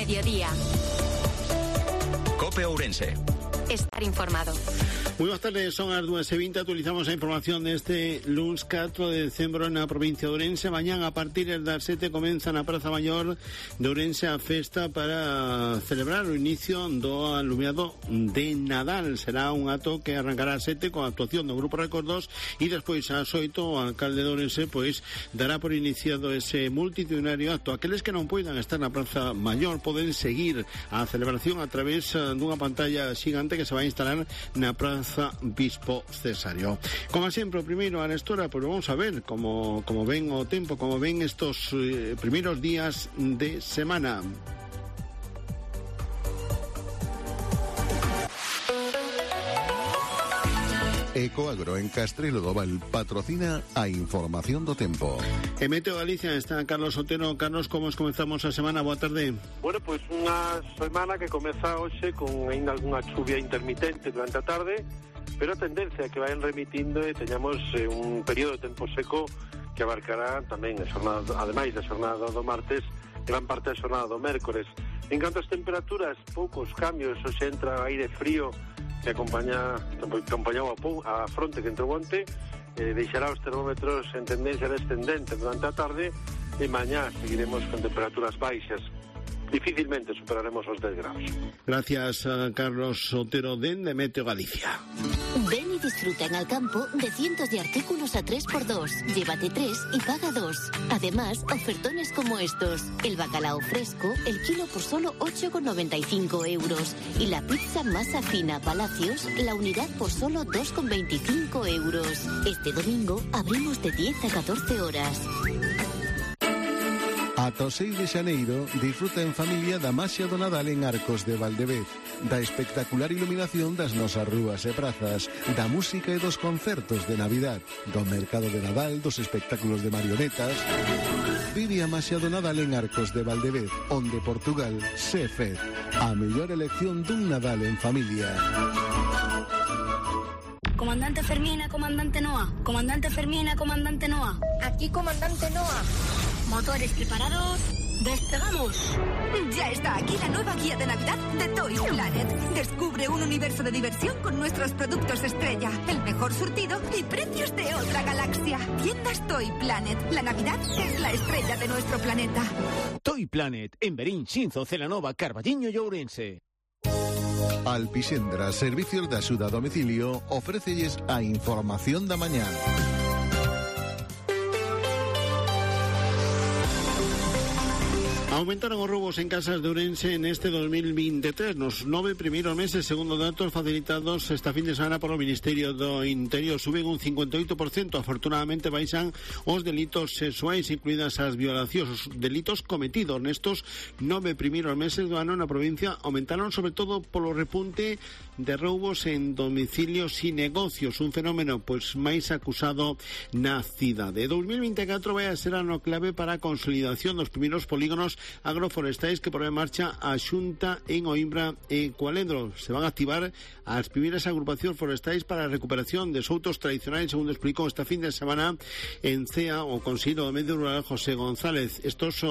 mediodía. COPE Ourense. Estar informado. Moi boas tardes, son as 2:20. Actualizamos a información deste luns 4 de decembro na provincia de Ourense. Mañán a partir das 7 comeza na Praza Maior de Ourense a festa para celebrar o inicio do alumiado de Nadal. Será un acto que arrancará a 7 con a actuación do Grupo Recordos e despois ás 8 o alcalde de Ourense dará por iniciado ese multitudinario acto. Aqueles que non poidan estar na Praza Maior poden seguir a celebración a través dunha pantalla xigante que se vai instalar na Praza Bispo Cesario. Como sempre, primeiro a Nestora, pues vamos a ver como ven o tempo, como ven estos primeros días de semana. Ecoagro en Castrelo do Val patrocina a información do tempo. En Meteo Galicia está Carlos Otero. Carlos, como comenzamos a semana? Boa tarde. Bueno, pues unha semana que comeza hoxe con ainda algunha chuvia intermitente durante a tarde, pero a tendencia é que vayan remitindo e teñamos un período de tempo seco que abarcará tamén a xornada, ademais da xornada do martes, gran parte da xornada do mércores. En canto ás temperaturas, poucos cambios, hoxe entra aire frío que acompañou a fronte que entrou onte, deixará os termómetros en tendencia descendente durante a tarde e mañá seguiremos con temperaturas baixas. Difícilmente superaremos os 10 grados. Gracias a Carlos Otero de Meteo Galicia. Ven y disfruta en Alcampo de cientos de artículos a 3x2. Llévate 3 y paga 2. Además, ofertones como estos. El bacalao fresco, el kilo por solo 8,95 euros. Y la pizza masa fina Palacios, la unidad por solo 2,25 euros. Este domingo abrimos de 10 a 14 horas. Ata o 6 de xaneiro, disfruta en familia da maxia do Nadal en Arcos de Valdevez, da espectacular iluminación das nosas rúas e prazas, da música e dos concertos de Navidad, do mercado de Nadal, dos espectáculos de marionetas. Vive a maxia do Nadal en Arcos de Valdevez, onde Portugal se fez a mellor elección dun Nadal en familia. Comandante Fermina, comandante Noa. Comandante Fermina, comandante Noa. Aquí, comandante Noa. Motores preparados. ¡Despegamos! Ya está aquí la nueva guía de Navidad de Toy Planet. Descubre un universo de diversión con nuestros productos estrella, el mejor surtido y precios de otra galaxia. Tiendas Toy Planet. La Navidad es la estrella de nuestro planeta. Toy Planet, en Berín, Xinzo, Celanova, Carballiño e Ourense. Alpixendra Servicios de Axuda a Domicilio ofrécelles a información da mañá. Aumentaron os roubos en casas de Ourense en este 2023. Nos 9 primeiros meses, segundo datos facilitados esta fin de semana por o Ministerio do Interior, suben un 58%. Afortunadamente baixan os delitos sexuais, incluídas as violacións. Os delitos cometidos nestos 9 primeiros meses do ano na provincia aumentaron sobre todo polo repunte de roubos en domicilios e negocios, un fenómeno máis acusado na cidade. 2024 vai a ser ano clave para a consolidación dos primeiros polígonos agroforestais que pon en marcha a Xunta en Oimbra e Cualendro. Se van a activar as primeiras agrupacións forestais para a recuperación de soutos tradicionais, segundo explicou esta fin de semana en CEA o Consello do Medio Rural José González. Estos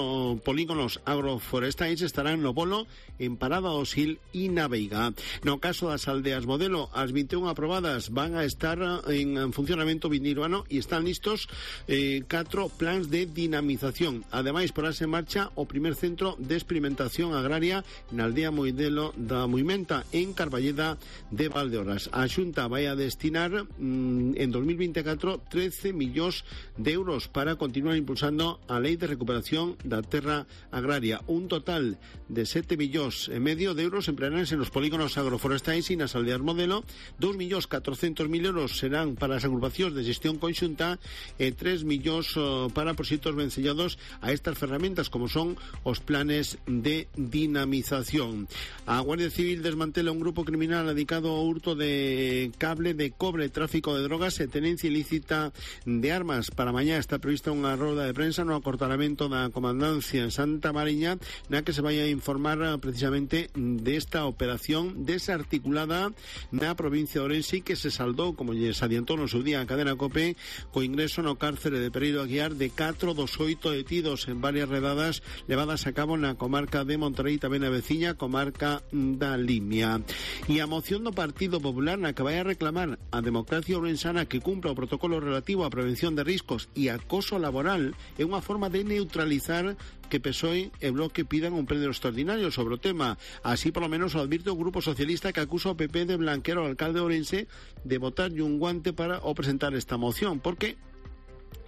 polígonos agroforestais estarán no Bolo, en Parada do Sil e na Veiga. No caso das aldeas modelo, as 21 aprobadas van a estar en funcionamento vindiruano e están listos 4 plans de dinamización. Ademais, porase en marcha o primer centro de experimentación agraria na aldea Moidelo da Muimenta en Carballeda de Valdeorras. A Xunta vai a destinar en 2024 13 millóns de euros para continuar impulsando a Lei de Recuperación da Terra Agraria. Un total de 7,5 millóns de euros emplearánse nos polígonos agroforestais e nas aldeas modelo. 2,4 millóns euros serán para as agrupacións de gestión conxunta e 3 millóns para proxectos vencellados a estas ferramentas como son os planes de dinamización. A Guardia Civil desmantela un grupo criminal dedicado ao hurto de cable de cobre, tráfico de drogas e tenencia ilícita de armas. Para mañá está prevista unha roda de prensa no acortalamento da comandancia en Santa Mariña, na que se vai a informar precisamente desta operación desarticulada na provincia de Ourense que se saldou, como lles adiantou no seu día a cadena COPE, co ingreso no cárcere de Pereiro Aguiar de 4 dos 8 detidos en varias redadas levadas levadas a cabo na comarca de Monterrey, tamén na veciña comarca da Limia. E a moción do Partido Popular na que vai a reclamar a democracia ourensana que cumpla o protocolo relativo á prevención de riscos e acoso laboral é unha forma de neutralizar que PSOE e Bloque pidan un pleno extraordinario sobre o tema. Así, polo menos, o advirte o Grupo Socialista, que acusa o PP de blanquear ao alcalde de Ourense de botarlle un guante para presentar esta moción, porque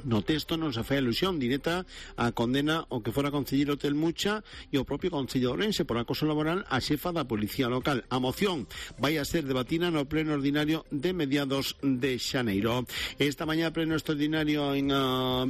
no texto non se fai alusión directa a condena o que fora concelleiro Telmucha e o propio Concello de Ourense por acoso laboral a xefa da Policía Local. A moción vai a ser debatida no pleno ordinario de mediados de xaneiro. Esta mañá, pleno extraordinario en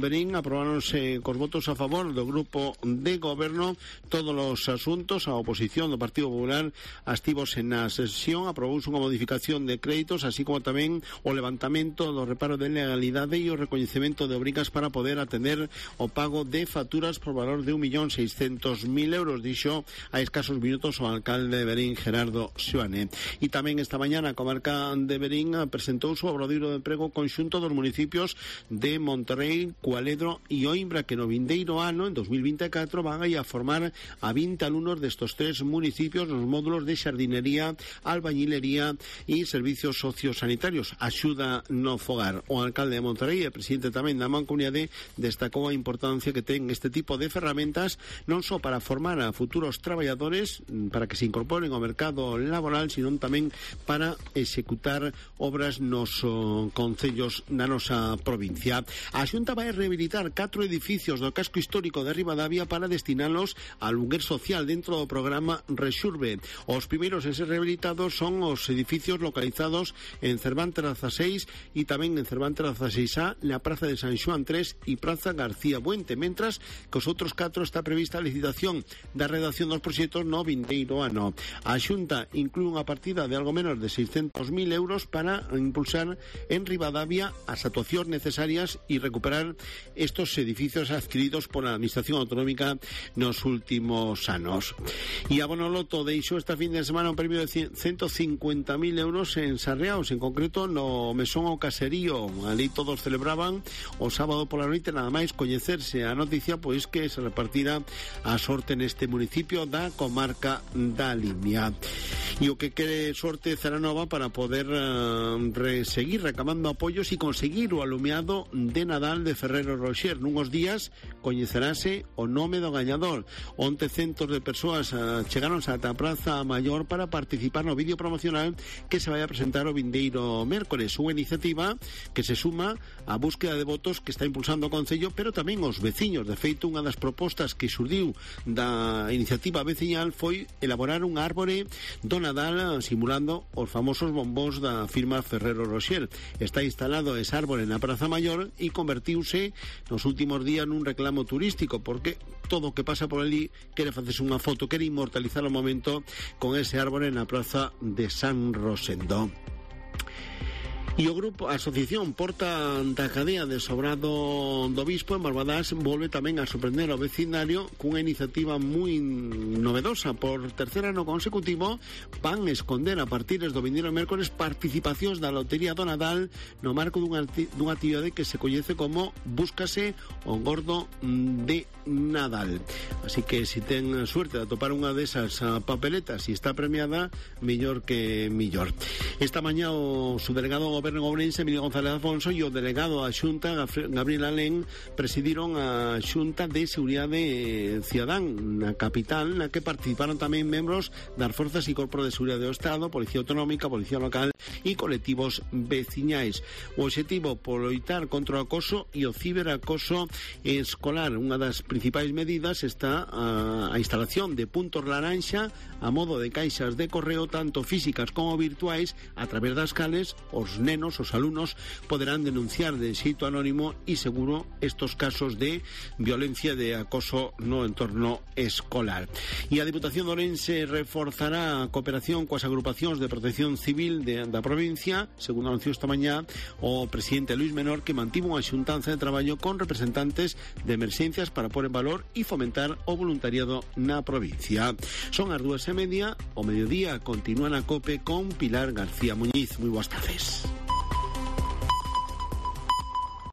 Berín, aprobáronse cos votos a favor do Grupo de Goberno todos os asuntos. A oposición do Partido Popular astivose na sesión, aprobouse unha modificación de créditos, así como tamén o levantamento do reparo de legalidade e o recoñecemento de obrigas para poder atender o pago de facturas por valor de 1.600.000 euros, dixo a escasos minutos o alcalde de Berín, Gerardo Xoane. E tamén esta mañana a comarca de Berín presentou o obradoiro de emprego conxunto dos municipios de Monterrey, Cualedro e Oimbra, que no vindeiro ano, en 2024, van a formar a 20 alumnos destos tres municipios nos módulos de xardinería, albañilería e servicios sociosanitarios, axuda no fogar. O alcalde de Monterrey e presidente tamén da Mancomunidade destacou a importancia que ten este tipo de ferramentas non só para formar a futuros traballadores para que se incorporen ao mercado laboral, sino tamén para executar obras nos concellos da nosa provincia. A Xunta vai rehabilitar 4 edificios do casco histórico de Ribadavia para destinalos a luguer social dentro do programa Rexurbe. Os primeiros en ser rehabilitados son os edificios localizados en Cervantes 16 e tamén en Cervantes 16A, na Praza de San Xoán 3 e Praza García Buente, mentras que os outros 4 está prevista a licitación da redacción dos proxectos no vindeiro ano. A Xunta inclúe unha partida de algo menos de 600.000 euros para impulsar en Ribadavia as actuacións necesarias e recuperar estos edificios adquiridos por a Administración Autonómica nos últimos anos. E a Bonoloto deixou esta fin de semana un premio de 150.000 euros en Sarriaos, en concreto no Mesón ao Caserío. Ali todos celebraban o sábado pola noite, nada máis coñecerse a noticia, pois que se repartira a sorte neste municipio da comarca da Limia. E o que quere sorte Celanova para poder seguir recamando apoios e conseguir o alumeado de Nadal de Ferrero Rocher. Nunhos días coñecerase o nome do gañador. Onte centos de persoas chegaronse ata a Praza Maior para participar no vídeo promocional que se vai a presentar o vindeiro mércores, unha iniciativa que se suma á búsqueda de votos que está impulsando o Concello, pero tamén os veciños. De feito, unha das propostas que xurdiu da iniciativa veciñal foi elaborar un árbore do Nadal simulando os famosos bombós da firma Ferrero Rocher. Está instalado ese árbore na Praza Maior e convertiuse nos últimos días nun reclamo turístico, porque todo o que pasa por ali quere facerse unha foto, quere inmortalizar o momento con ese árbore na Praza de San Rosendo. E o grupo, a asociación Porta da Cadea de Sobrado do Bispo en Barbadás volve tamén a sorprender ao vecindario cunha iniciativa moi novedosa. Por tercer ano consecutivo van esconder a partir do vindeiro mércores participacións da Lotería do Nadal no marco dunha actividade que se coñece como Búscase o Gordo de Nadal. Así que se ten suerte de atopar unha desas papeletas e está premiada, mellor que mellor. Esta mañá o subdelegado do Goberno Ourense, Emilio González Afonso, e o delegado da Xunta, Gabriel Alén, presidiron a Xunta de Seguridade Cidadán na capital, na que participaron tamén membros das Forzas e Corpo de Seguridade do Estado, Policía Autonómica, Policía Local e colectivos veciñais. O obxectivo por loitar contra o acoso e o ciberacoso escolar. Unha das principais medidas está a instalación de puntos laranxa a modo de caixas de correo, tanto físicas como virtuais, a través das cales os nenos, os alumnos, poderán denunciar de xeito anónimo e seguro estos casos de violencia de acoso no entorno escolar. E a Diputación de Ourense reforzará a cooperación coas agrupacións de protección civil da provincia, segundo anunció esta mañá o presidente Luis Menor, que mantivo unha xuntanza de traballo con representantes de emerxencias para pôr en valor e fomentar o voluntariado na provincia. Son as 2:30, o mediodía continúa na COPE con Pilar García Muñiz. Moi boas tardes.